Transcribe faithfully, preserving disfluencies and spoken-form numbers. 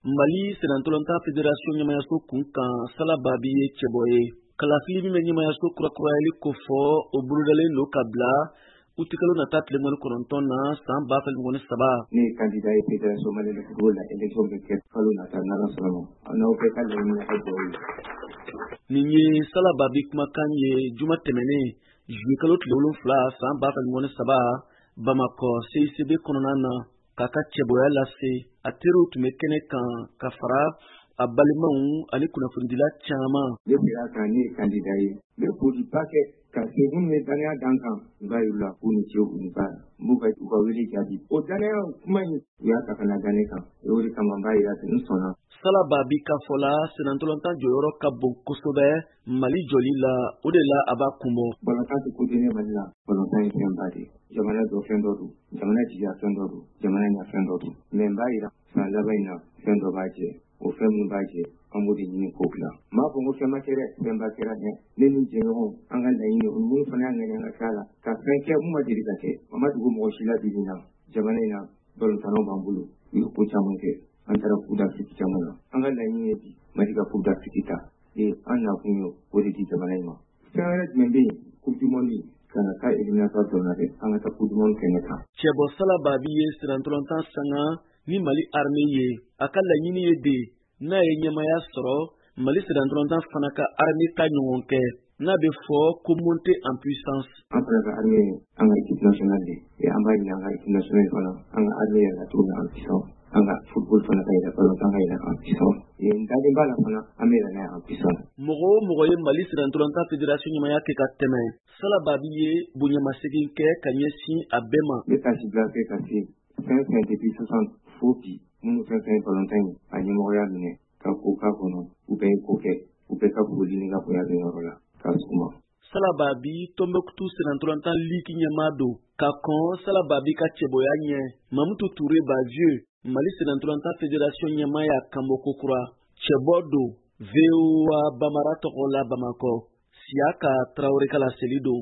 Mali sennantolatan fédération ɲɛmayaso kun kan, Sala Babi ye cɛbɔ ye. Kalafili min bɛ ɲɛmayaso kurakurayali kofɔ, o bolodalen don ka bila utikalo nata tile mugan ni kɔnɔntɔn na san ba fila mugan ni saba. Ne ye candidat ye Fédération malienne de football la. Élection bɛ kɛ kalo nata, n'Ala sɔnna ma. N'aw bɛɛ ka laɲini ka dugawu ye. Nin ye Sala Babi kumakan ye juma tɛmɛnen, juillet kalo tile wolonfila san ba fila mugan ni saba, Bamakɔ C I C B kɔnɔna na, k'a ka cɛbɔya lase. A teriw tun bɛ kɛnɛ kan ka fara a balimaw ani kunnafonidila caman. Ne bɛ kan, ne ye candidat ye. N bɛ foliba kɛ ka se minnu ye danaya dan kan. N b'a yir'u la k'u ni ce, u ni baara. N b'u ka u ka wele jaabi. O danaya kuma in, u y'a ta ka na da ne kan. O de kama n b'a yira n sɔnna. Sala Babi ka fɔ la, sennantolatan jɔyɔrɔ ka bon kosɛbɛ Mali jɔli la, o de la a b'a kunbɔ. Balontan tɛ ko den ye Mali la. Balontan ye fɛnba de ye. Jamana jɔ fɛn dɔ don, jamana jigiya fɛn dɔ don, jamana ɲɛ fɛn dɔ don. Mais n b'a yira, san laban in na, fɛn dɔ b'a jɛ. O fɛn min b'a jɛ, an b'o de ɲini k'o dilan. N m'a fɔ ko fɛn ma kɛ dɛ, fɛnba kɛra dɛ. Ne ni jɛɲɔgɔnw, an ka laɲini o, minnu fana y'a ŋaniya ka k'a la ka fɛn kɛ mun ma deli ka kɛ, a ma dogo mɔgɔ si la. Bi bi in na, jamana in na, balontannaw b'an bolo, u ye ko caman kɛ. An taara Coupe d'Afrique caman na. An ka laɲini ye bi Mali ka Coupe d'Afrique ta. Ee, an nakun ye o de di jamana in ma. Fɛn wɛrɛ jumɛn bɛ yen? Coupe du monde ka na taa éliminatoire dɔrɔn na dɛ, an ka taa Coupe du monde kɛnɛ kan. Cɛbɔ Sala Babi ye sennantolatan sanga ni Mali armée ye. A ka laɲini ye de, n'a ye ɲɛmaya sɔrɔ, Mali sennantolatan fana ka armée ta ɲɔgɔn kɛ n'a bɛ fɔ ko monter en puissance. An fana ka armée ye an ka équipe nationale de ye. An b'a ɲini an ka équipe nationale fana, an ka armée yɛlɛla cogo min en puissance, an ka football fana ka yɛlɛ, balontan ka yɛlɛ en puissance. N dalen b'a la fana, an bɛ yɛlɛ n'a ye en puissance. Mɔgɔ o mɔgɔ ye Mali sennantolatan fédération ɲɛmaya kɛ ka tɛmɛ, Sala Babi ye bonyamasegin kɛ ka ɲɛsin a bɛɛ ma. N bɛ taasibila kɛ ka se fɛn fɛn depuis soixante fo bi, minnu fɛn fɛn balontan in a ɲɛmɔgɔya minɛ ka ko k'a kɔnɔ, u bɛɛ ye ko kɛ. U bɛɛ ka foli ni ka bonya bɛ yɔrɔ la k'a s'u ma. Sala Babi, Tɔnbɔkutu sennantolatan ligue ɲɛmaa don. Ka kɔn Sala Babi ka cɛbɔya ɲɛ, Mamutu Ture Bavieux, Mali sennantolatan fédération ɲɛmaa, y'a kanbɔ kokura. Cɛbɔ don. V O A Bamara tɔgɔ la, Bamakɔ, Siyaka Tarawele ka laseli don.